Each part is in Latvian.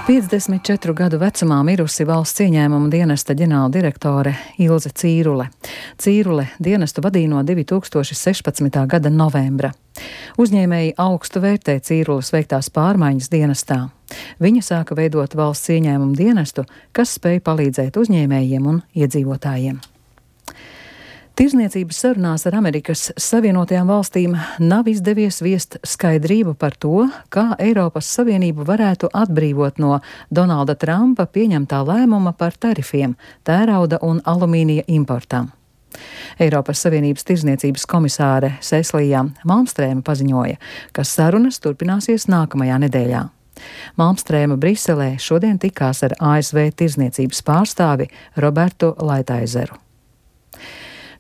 54 gadu vecumā mirusi valsts ieņēmuma dienesta ģenerāldirektore Ilze Cīrule. Cīrule dienestu vadīja no 2016. gada novembra. Uzņēmēji augstu vērtē Cīrules veiktās pārmaiņas dienestā. Viņa sāka veidot valsts ieņēmuma dienestu, kas spēja palīdzēt uzņēmējiem un iedzīvotājiem. Tirzniecības sarunās ar Amerikas Savienotajām valstīm nav izdevies viest skaidrību par to, kā Eiropas Savienību varētu atbrīvot no Donalda Trumpa pieņemtā lēmuma par tarifiem tērauda un alumīnija importam. Eiropas Savienības tirzniecības komisāre Cecilija Malmstrēma paziņoja, ka sarunas turpināsies nākamajā nedēļā. Malmstrēma Briselē šodien tikās ar ASV tirzniecības pārstāvi Robertu Laitaizeru.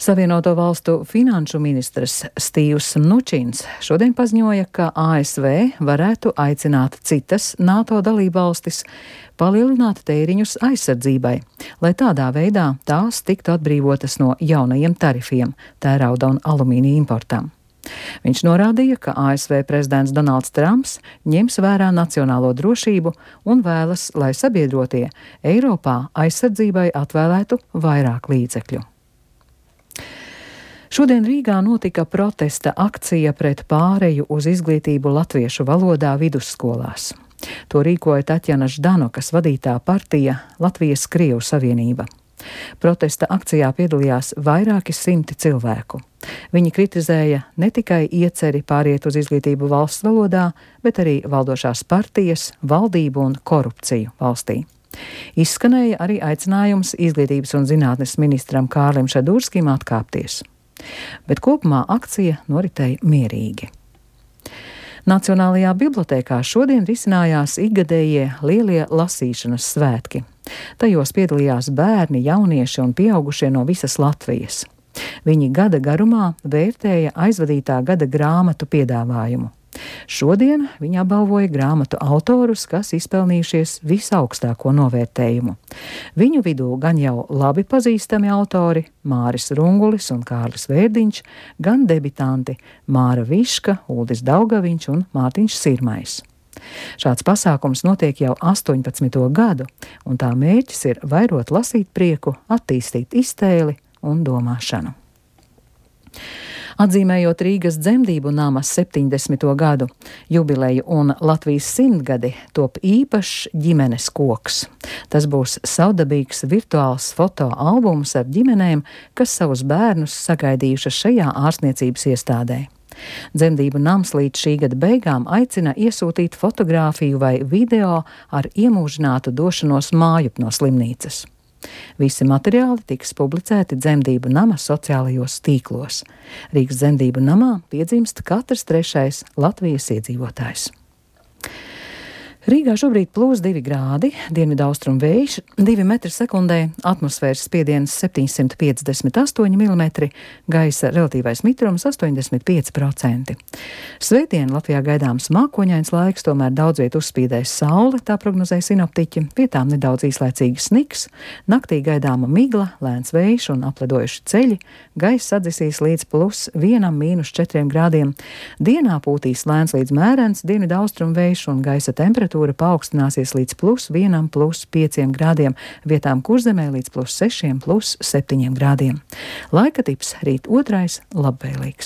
Savienoto valstu finanšu ministrs Stīvs Mnučins šodien paziņoja, ka ASV varētu aicināt citas NATO dalībvalstis palielināt tēriņus aizsardzībai, lai tādā veidā tās tiktu atbrīvotas no jaunajiem tarifiem tērauda un alumīnija importam. Viņš norādīja, ka ASV prezidents Donalds Trumps ņems vērā nacionālo drošību un vēlas, lai sabiedrotie Eiropā aizsardzībai atvēlētu vairāk līdzekļu. Šodien Rīgā notika protesta akcija pret pāreju uz izglītību latviešu valodā vidusskolās. To rīkoja Taķjana Ždanokas vadītā partija Latvijas Krievu savienība. Protesta akcijā piedalījās vairāki simti cilvēku. Viņi kritizēja ne tikai ieceri pāriet uz izglītību valsts valodā, bet arī valdošās partijas, valdību un korupciju valstī. Izskanēja arī aicinājums izglītības un zinātnes ministram Kārlim Šadurskim atkāpties. Bet kopumā akcija noritēja mierīgi. Nacionālajā bibliotēkā šodien risinājās ikgadējie lielie lasīšanas svētki. Tajos piedalījās bērni, jaunieši un pieaugušie no visas Latvijas. Viņi gada garumā vērtēja aizvadītā gada grāmatu piedāvājumu. Šodien viņi apbalvoja grāmatu autorus, kas izpelnījušies visaugstāko novērtējumu. Viņu vidū gan jau labi pazīstami autori Māris Rungulis un Kārlis Vērdiņš, gan debitanti Māra Viška, Uldis Daugaviņš un Mārtiņš Sirmais. Šāds pasākums notiek jau 18. gadu, un tā mērķis ir vairot lasīt prieku, attīstīt iztēli un domāšanu. Atzīmējot Rīgas dzemdību nama 70. gadu jubileju un Latvijas 100-gadi, top īpašs ģimenes koks. Tas būs savdabīgs virtuāls fotoalbums ar ģimenēm, kas savus bērnus sagaidījušas šajā ārstniecības iestādē. Dzemdību nams līdz šī gada beigām aicina iesūtīt fotogrāfiju vai video ar iemūžinātu došanos mājup no slimnīcas. Visi materiāli tiks publicēti dzemdību nama sociālajos tīklos. Rīgas dzemdību namā piedzimst katrs 3. Latvijas iedzīvotājs. Rīgā šobrīd +2 grādi, dienvidaustrumu vējš 2 metri sekundē, atmosfēras spiediens 758 mm, gaisa relatīvais mitrums 85%. Svētdien Latvijā gaidāms mākoņains laiks, tomēr daudz viet uzspīdēs saule, tā prognozē sinoptiķi, vietām nedaudz īslaicīgi sniks, naktī gaidāma migla, lēns vējš un apledojuši ceļi, gaisa sadzisīs līdz +1–4 grādiem, dienā pūtīs lēns līdz mērens dienvidaustrumu vējš un gaisa temperatūra paaugstināsies līdz +1–5 grādiem, vietām Kurzemē līdz +6–7 grādiem. Laika tips rīt 2. labvēlīgs.